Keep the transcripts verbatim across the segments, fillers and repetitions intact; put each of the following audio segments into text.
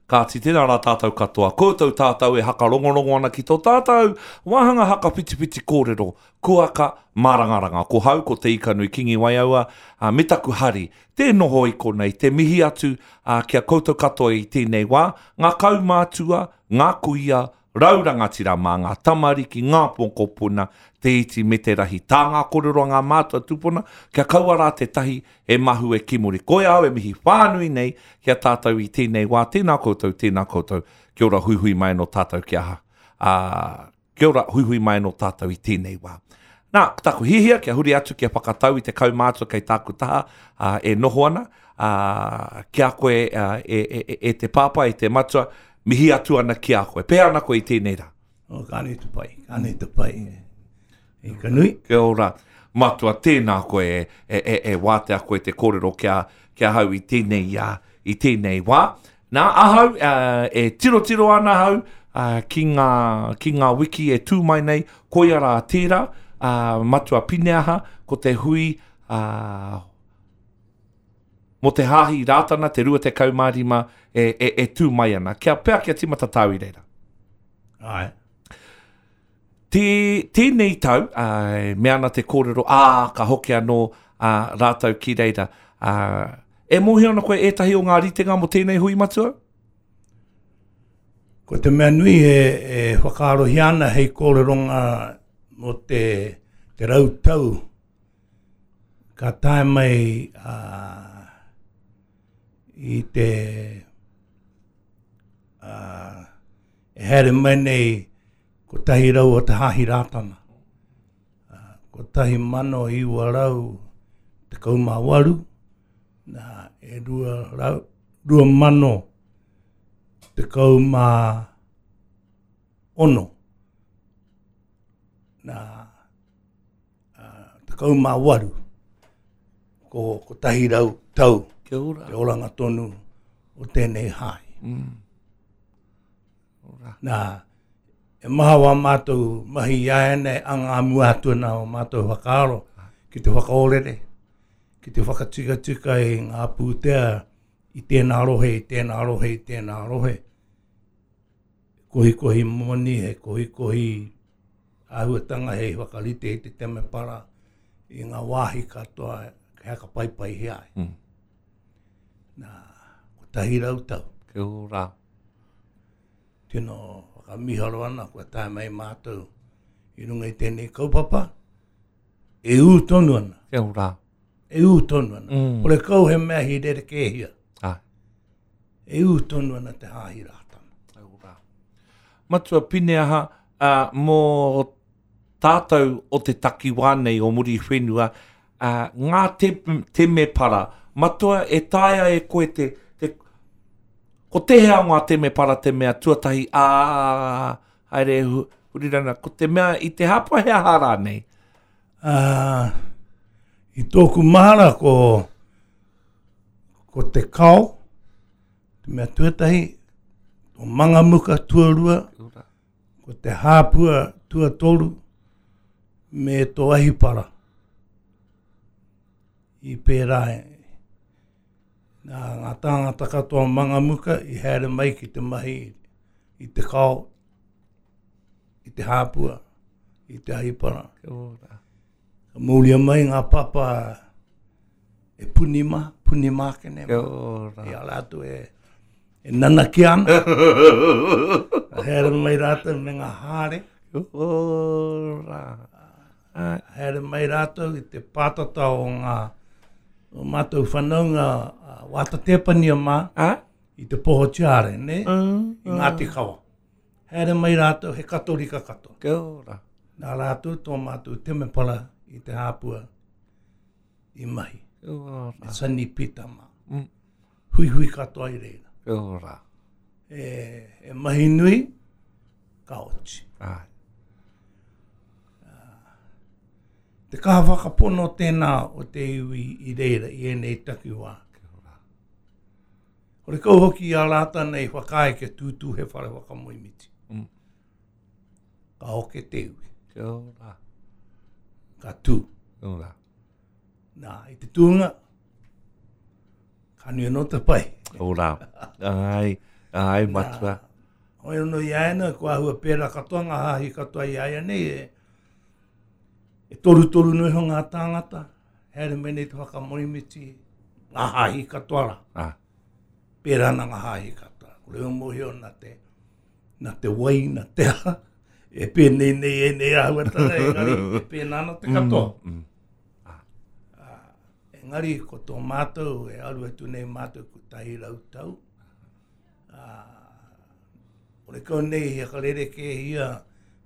Kāti, tēnā rā tātou katoa. Koutou tātou e hakarongorongo ana ki tō tātou wāhanga hakawhitiwhiti kōrero, kuaka mārangaranga. Ko hau, ko Te Ikanui Kingi Waiaua, uh, me taku hari, te noho i konei, te mihi atu uh, ki a koutou katoa i tēnei wā, ngā kaumātua, ngā kuia, rau rangatira mā ngā tamariki, ngā mokopuna, te iti me te rahi. Tā ngā kōrero a ngā mātua tupuna, kia kaua rā te tahi e mahu e kimuri. Koe au e mihi whānui nei ki a tātou i tēnei wā. Tēnā koutou, tēnā koutou. Kia ora huihui mai no tātou ki aha. Uh, kia ora huihui mai no tātou i tēnei wā. Nā, ko taku hihia kia huri atu kia whakatau i te kaumātua kei tāku taha uh, e noho ana, uh, ki a koe uh, e, e, e, e te pāpā, e te matua, mihi atu ana ki a koe. Pēhea ana koe i tēnei rā? Oh, ka nui te pai, ka nui te pai. E ka nui. Kia ora, matua, tēnā koe e, e, e, e wātea koe te kōrero kia, kia hau i tēnei, uh, i tēnei wā. Nā, ahau, uh, e tirotiro ana ahau uh, ki, ngā, ki ngā wiki e tū mai nei, koia rā tērā, uh, matua Pineaha, ko te hui uh, mō te hāhi Rātana, te rua tekau mā rima e, e, e tū mai ana. Kia pea kia timata tāu i reira. Ai. Te, tēnei tau, uh, me ana te kōrero, ā, ka hoki anō uh, rātou ki reira. Uh, e mōhio ana koe ētahi o ngā ritenga mō tēnei hui matua? Ko te mea nui e, e whakaarohia ana hei kōreronga mō te, te rau tau ka tae mai uh, i te uh, e haere mai nei kotahi rau o te Hāhi Rātana. Uh, kotahi mano iwa rau tekau mā waru, nā, e rua, rau, rua mano tekau mā ono. Nā, uh, tekau mā waru, ko kotahi rau tau. Kia ora. Te oranga tonu o tēnei hāhi. Mm. Ora. Nā, e maha wā mātou mahi i a ene a ngā mua atu nā o mātou whakaaro ki te whakaorere, ki te whakatikatika i ngā pūtea i tēnā rohe, i tēnā rohe, i tēnā rohe. Kohikohi moni, he kohikohi āhuatanga hei whakarite i te temepara i ngā wāhi katoa he hakapai hea ai. Mm. Nā, kotahi rau tau. Kia ora. Tino whakamiharo ana kua tae mai mātou i runga i tēnei kaupapa, e ū tonu ana. Kia ora. E ū tonu ana. Mm. Kore kau he mea hi rerekēhia. Ah. E ū tonu ana te Hāhi Rātana. Kia ora. Matua Pineaha, uh, mō tātou o te takiwā nei o Muriwhenua, uh, ngā te, temepara, matua e taea e koe te, te ko tēhea o ngā temepara te mea tuatahi, ā, haere hurirana, ko te mea i te hapa he aha rānei? Uh, i tōku mahara ko, ko te kao, te mea tuatahi, o Mangamuka tuarua, ko te hāpua tuatoru, me tō ahipara. I pērā e. Nā, ngā tāngata katoa Mangamuka i haere mai ki te mahi i te kao, i te hāpua, i te ahipara. Kia ora. Ka mauria mai ngā papa e puni mā, puni mākene Kia mā. ora. I a rātou e, e nanaki ana. Ka haere mai rātou me ngā hāre. Kia ora. Ai. Haere mai rātou i te pātata o ngā o mātou whanaunga uh, Wāta Tepania mā Ah? i te poho tiare, ne? Mm, I Ngāti Kawa. Haere mai rātou he katorika katoa. Kia ora. Nā rātou tō mātou temepara i te hāpua i mahi. Kia ora. Me Sunny Pita mā. Mm. Huihui katoa i reira. Kia ora. E, e mahi nui, ka oti. Ai. Te kaha whakapono tēnā o te iwi i reira i ēnei takiwā. Kia ora. Hore kau hoki i a rātana i whakaae kia tūtū he whare whakamoemiti. Mm. Ka hoke te iwi, Kia ora. ka tū. Kia ora. Nā, i te tūnga, ka nui anō te pai. Ora. Ai. Ai, matua. Hoi anō i a ena, ko ahua pērā katoa ngā hāhi katoa i a ia nei, e, e toru toru noa iho ngā tāngata, haere mai nei te whakamoemiti, ngā hāhi katoa rā. Ah. Pērā ana ngā hāhi katoa. Ko reo mōhio nā te, nā te wai, nā te aha, e pēnei nei e nei āhuatanga, engari, e pēnā ana te katoa. Mm, mm. Ah. Engari, ko tō mātou, e aru atu nei mātou kotahi rau tau. Ah, ore kau nei he whakarerekēhia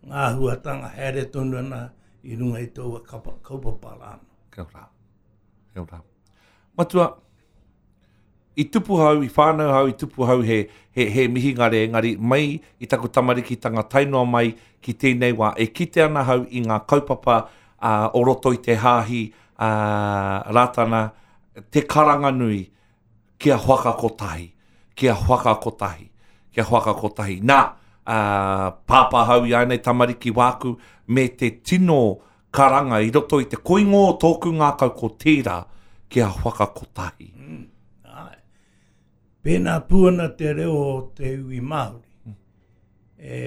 ngā āhuatanga haere tonu ana i runga i taua kapa, kaupapa rāno. Kia ora. Kia ora. Matua, i tupu hau, i whānau hau, i tupu hau he, he, he mihingare, engari mai i taku tamarikitanga tae noa mai ki tēnei wā, e kite ana hau i ngā kaupapa uh, o roto i te hāhi uh, Rātana, te karanga nui, kia whakakotahi, kia whakakotahi, kia whakakotahi. Nā, uh, pāpā hau i ānei tamariki wāku, me te tino karanga i roto i te koingo o tōku ngākau ko tērā, kia whakakotahi. Mm. Ai. Pēnā pū ana te reo o te iwi Māori. Mm. E,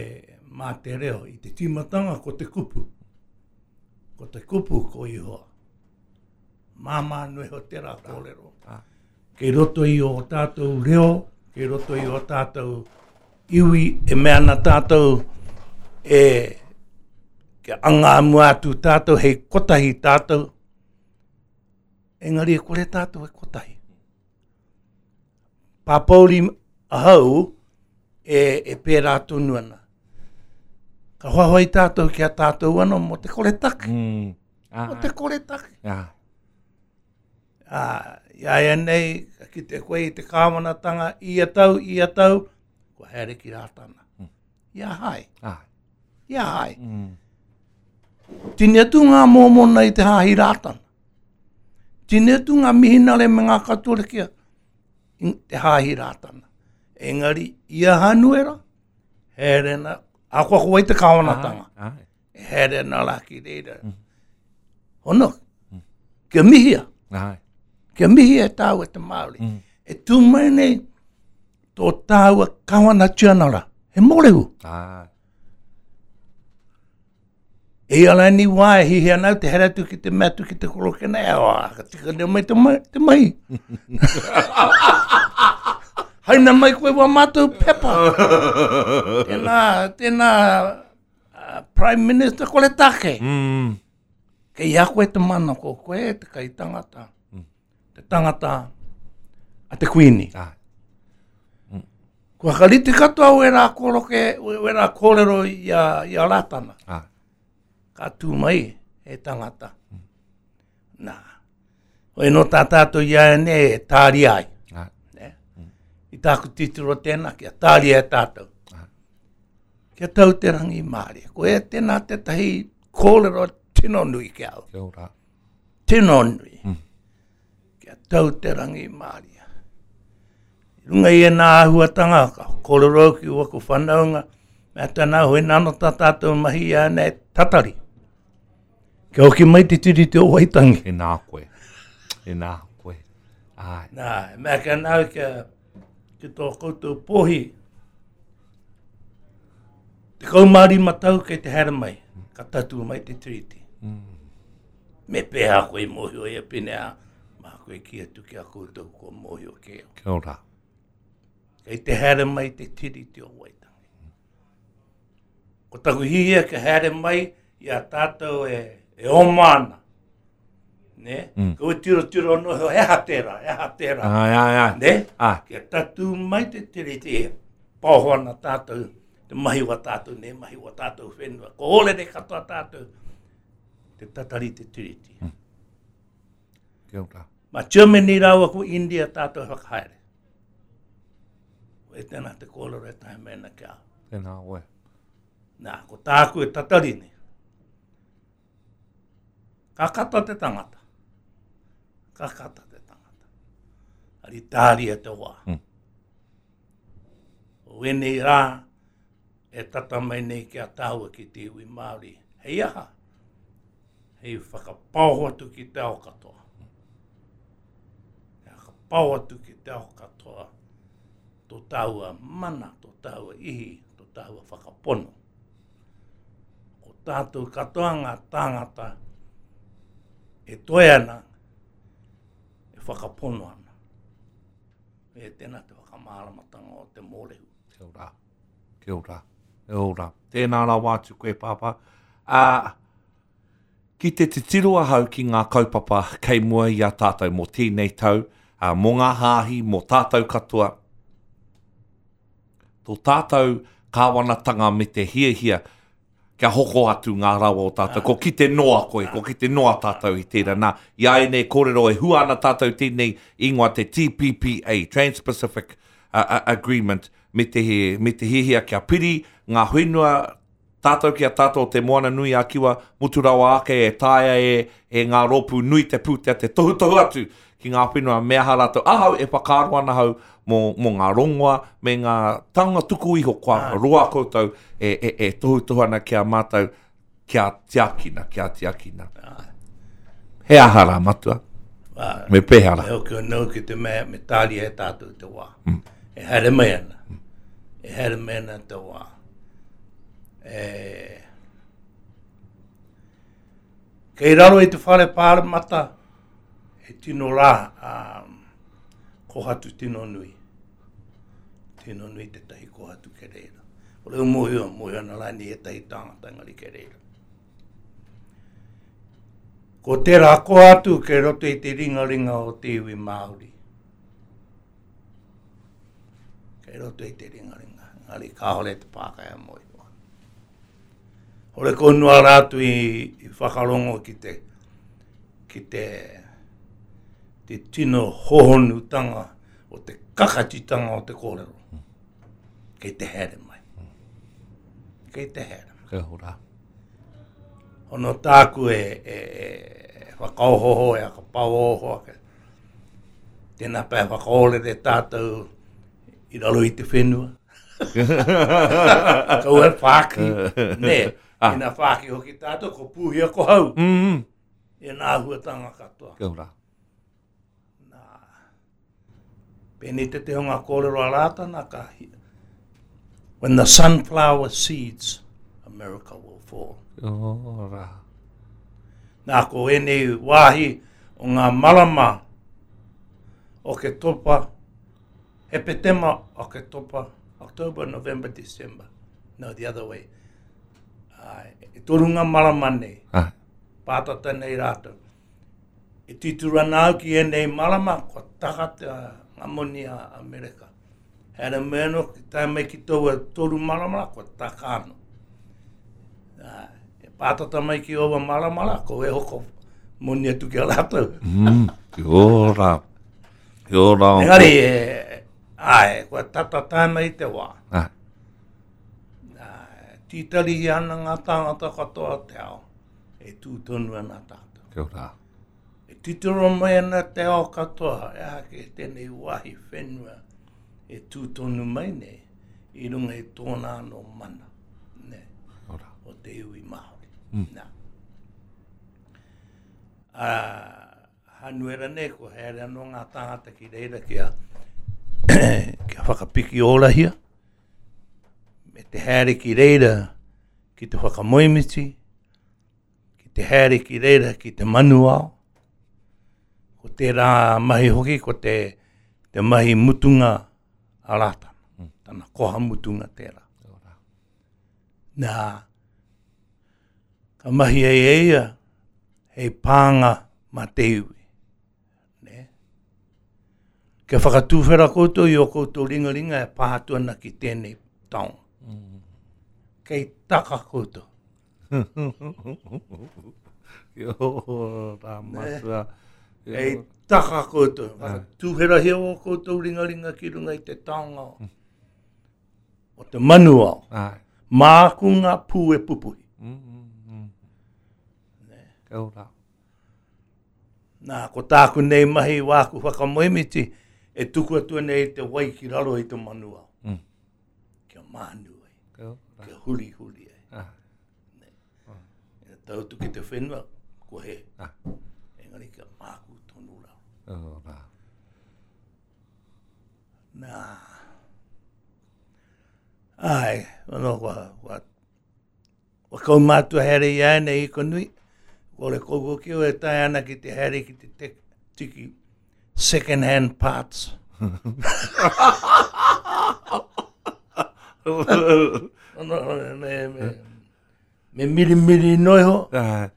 mā te reo, i te tīmatanga ko te kupu. Ko te kupu ko Ihoa. Māmā noa iho tērā kōrero. Ah. Kei roto i o tātou reo, kei roto i o tātou iwi, e mea ana tātou e kia anga mua atu tātou, hei kotahi tātou. Engari e kore tātou e kotahi. Pāpōuri ahau e, e pērā tonu ana. Ka hoahoa tātou ki a tātou anō mō te kore take. Mm. Ah. Mō te kore take. Ah. Ah, i a ia nei, ka kite koe i te kāwanatanga, ia tau, ia tau, kua haere ki Rātana. Mm. Ia hai. Ah. Ia hai. Mm. Tini atu ngā mōmona i te hāhi Rātana. Tini atu ngā mihinare me ngā katorikia i te hāhi Rātana. Engari, ia Hanuera, haere na, akoa ko wai te kāwanatanga. Ai, ai. Haere na rā ki reira. Mm. Hono, Mm. kia mihia. Ai. Kia mihia e tāua te Māori. Mm. E tū mai nei tō tāua kawana tianara. He mōrehu. Ai. E ia ni wā e hihi ana au te here atu ki te mea atu ki te korokena, e oa, ka tika nei mai te, mai, te mahi. Haina mai koe wā mātou pepa. Tēnā, tēnā uh, Prime Minister kore take. Mm. Kei a koe te mana ko koe te kai tangata. Mm. Te tangata a te Kuini. Ai. Kua whakarite katoa o ērā koroke, o ērā kōrero i a, i a Rātana. Ai. Ka tū mai e tangata. Nā. Hoi nō tā tātou i a nei e tāria ai. Ai. Ne? I tāku titiro tēnā, kia tāria e tātou. Ai. Kia tau te rangi mārie. Ko e tēnā tētahi kōrero tino nui ki au. Kia ora. Tino nui. Mm. Kia tau te rangi mārie. I runga i ēnā āhuatanga, ka kōrero au ki waku whanaunga, mea tēnā hoi nāno tā tātou mahi i a nei tatari. Kia hoki mai te Tiriti o Waitangi. Tēnā koe. Tēnā koe. Ai. Nā, e mea kia nāu kia, ki tō koutou pōhi, tekau mā rima tau kei te haere mai, ka tatū mai te Tiriti. Mm. Me pēhā koe i mōhio ia pēnea, mā koe ki atu ki a koutou kua mōhio ke au. Kia ora. Kei te haere mai te Tiriti o Waitangi. Ko taku hihia kia haere mai i a tātou e, e oma ana. Ne? Mm. Ko tiro tiro no he aha tērā, he aha tērā. Ai, ai, ai. Ne? Ai. Kia tatū mai te Tiriti e paoho ana tātou, te mahi wa tātou, ne mahi wa tātou whenua. Ko ōrere katoa tātou, te tatari te Tiriti. Mm. Kia ora. Ma Germany rāua ko India tātou e whakahaere. Ko e tēnā te kōrero e tahi mena kia. Tēnā koe. Nā, ko tāku e tatari nei. Ka kata te tangata. Ka kata te tangata. Ari tāria te wā. Mm. O ēnei rā, e tata mai nei ki a tāua ki te iwi Māori. Hei aha? Hei whakapaoho atu ki te ao katoa. Hei whakapaoho atu ki te ao katoa. Tō tāua mana, tō tāua ihi, tō tāua whakapono. Ko tātou katoa ngā tāngata e toe ana, e whakapono ana. E tēnā te whakamāramatanga o te mōrehu. Kia ora, kia ora, kia ora. Tēnā rawa atu koe, Pāpā. Ā, ki te titiro ahau ki ngā kaupapa kei mua i a tātou mō tēnei tau, ā, mō ngā hāhi, mō tātou katoa, tō tātou kāwanatanga me te hiahia kia hoko atu ngā rawa o tātou. Ko kite noa koe, ko kite noa tātou i tērā. Nā, i a ēnei kōrero e hua ana tātou tēnei ingoa te T P P A, Trans-Pacific uh, uh, Agreement, me te, me te hiahia kia piri ngā whenua tātou ki a tātou o te Moana Nui a Kiwa, mutu rawa ake e taea e, e ngā rōpū nui te pūtea te tohutohu atu ki ngā whenua me aha rātou. Ahau e whakaaro ana hau mō, mō ngā rongoa me ngā taonga tuku iho kua roa koutou e, e, e tohutohu ana ki a mātou kia tiakina, kia tiakina. He aha rā, matua? Me pēhea rā? E hoki anō ki te mea, me tāria e tātou te wā. Mm. E haere mai ana. E haere mai ana te wā. E... Kei raro i te whare pāremata, he tino rā, um, kohatu tino nui. Tino nui tētahi kohatu ke reira. O reo mōhio, mōhio ana rānei ētahi tāngata engari ke reira. Ko tērā kohatu kei roto i te ringaringa o te iwi Māori. Kei roto i te ringaringa, engari kāore te Pākehā mōhio. Hore ko noa rātou i, i whakarongo ki te, ki te, te tino hohonutanga o te kakatitanga o te kōrero. Kei te haere mai. Kei te haere mai. Kia ora. Hono tāku e, e, e whakaohoho, e whakapauoho ake. Tēnā pea whakaorere tātou i raro i te whenua. Kaua e whāki. Nē, Ah. ina whāki hoki tātou, ko pūhia ko hau. Mm. E nā huatanga katoa. Kia ora. Nā, pēnei te te hunga kōrero a Rātana ka, when the sunflower seeds, America will fall. Kia ora. Nā, ko ēnei wāhi o ngā marama o ke topa, Hepetema o ke topa, October, November, December. No, the other way. Ai, e toru ngā marama nei, Ah. pātata nei rātou. E tituru ana au ki ēnei marama, kua taka te ngā moni a Amerika. Haere mai anō, ki tae mai ki taua toru marama, kua taka anō. Nā, e pātata mai ki aua marama rā, ko e hoko moni atu ki a rātou. Mm. Kia ora. Kia ora. Engari, e, ai, kua tata tae mai te wā. Ah. Nā, tītarihi ana ngā tāngata katoa o te ao, e tū tonu ana tātou. Kia ora. E titiro mai ana te ao katoa, e aha ke tēnei wāhi whenua e tū tonu mai nei, i runga i tōna anō mana, ne, Kia ora. o te iwi Māori. Mm. Nā. Ā, Hanuera nei, ko haere anō ngā tāngata ki reira kia, kia whakapiki orahia, me te haere ki reira ki te whakamoemiti, ki te haere ki reira ki te manuao. Ko tērā mahi hoki, ko te, te mahi mutunga a Rātana. Mm. Tana koha mutunga tērā. Kia ora. Nā, ka mahi ai e ia, hei pānga mā te iwi. Ne? Kia whakatūwhera koutou i o koutou ringaringa e pā atu ana ki tēnei taonga. Mm. Kei taka koutou. Kia ora, matua. Kia Kei ora. taka koutou. Whakatūwherahia o koutou ringaringa ki runga i te taonga o te manuao. Ai. Māku ngā pū e pupuhi. Mm, mm, mm. Kia ora. Nā, ko tāku nei mahi wāku whakamoemiti, e tuku atu nei te wai ki raro i te manuao. Mm. Kia mānu ai, Kia ora. kia huri huri ai. Ah. E tautu ki te whenua, ko he. Ah. Engari kia māku tonu raro. Kia ora. Nā, Ai, ono kua, kua, kua kaumātua haere i a nei i konui. Ko le koukou ki o e tae ana ki te haere ki te tek, tiki second hand parts. Ono, me, me, me miri miri noiho. Ai.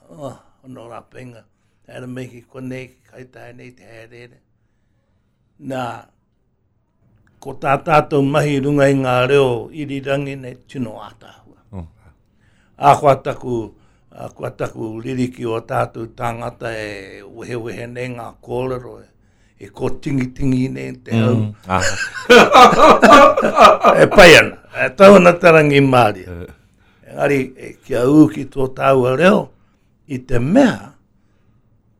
Oh, ono rapenga. Haere mai ki konei, ki kaitae nei te haere. Nā, ko tā tātou mahi runga i ngā reo irirangi nei tino ātaahua. Oh. A kua taku, a kua taku ririki o tātou tāngata e wehewehe nei ngā kōrero, e, e kōtingitingi nei te hau. Mm. Ah. E pai ana, e tau ana te rangi māria. Engari, e, kia ū ki tō tāua reo, i te mea,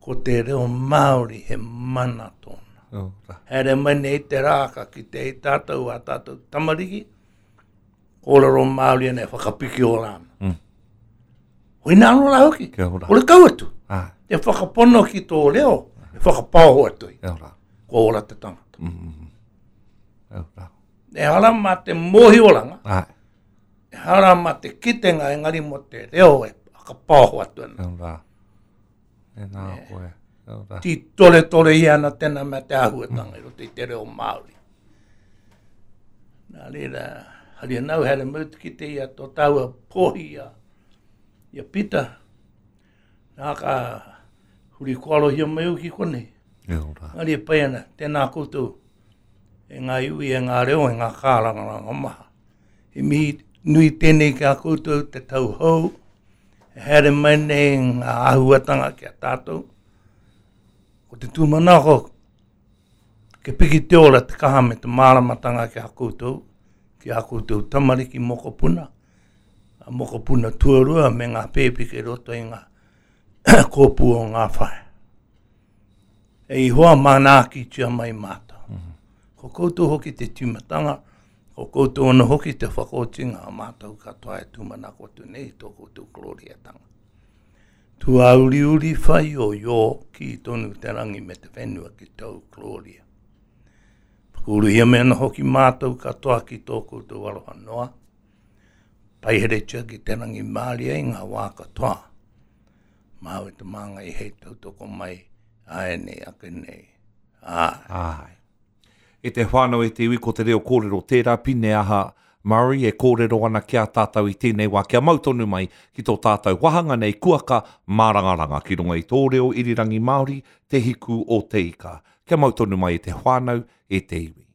ko te reo Māori he mana tōna. Oh, rā. Haere mai nei te rā ka ki te i tātou a tātou tamariki, kōrero Māori ana e whakapiki o rāna. Mm. Hoi nā anō rā hoki. Kia ora. Ko le kau atu. Ah, Te whakapono ki tō reo, e whakapaoho atu i. kia ora. Kua ora te tangata. Mm, mm, mm. Kia ora. E hara mā te mōhioranga, Ai, e hara mā te kitenga engari mō te reo e whakapaoho atu ana. kia ora. E nā koe. Kia ora. Ti tore tore i ana tēnā mea te āhuatanga i roto i te reo Māori. Nā reira, hari anau here mau te kite ia tō tāua pōhi ia, ia Pita. Nā ka huri koarohia mai au ki konei. Kia ora. Ngari e pai ana, tēnā koutou e ngā iwi, e ngā reo, e ngā kārangaranga maha. He mihi nui tēnei ki a koutou te tau hou, e haere mai nei ngā āhuatanga ki a tātou. Ko te tūmanako, ke piki te ora te kaha me te māramatanga ki a koutou, ki a koutou tamariki mokopuna, a mokopuna tuarua me ngā pēpi ki roto i ngā kōpū o ngā whae. E i hoa manaakitia mai mātou. Ko koutou hoki te tīmatanga, ko koutou ana hoki te whakaotinga a mātou katoa e tūmanako atu nei i tō koutou gloriatanga. Tuauriuri whai o iō ki tonu te rangi me te whenua ki tōu gloria. Whakauruhia me ana hoki mātou katoa ki tō koutou aroha noa. Paiheretia ki te rangi māria i ngā wā katoa. Māu e te māngai hei tautoko mai, ae nei, ake nei. Ai. Ai. E te whānau e te iwi ko te reo kōrero tērā pine aha Murray e kōrero ana ki a tātou i tēnei wā kia mau tonu mai ki tō tātou wahanga nei kuaka mārangaranga ki runga i tō reo irirangi Māori te hiku o te ika. Kia mau tonu mai e te whānau e te iwi.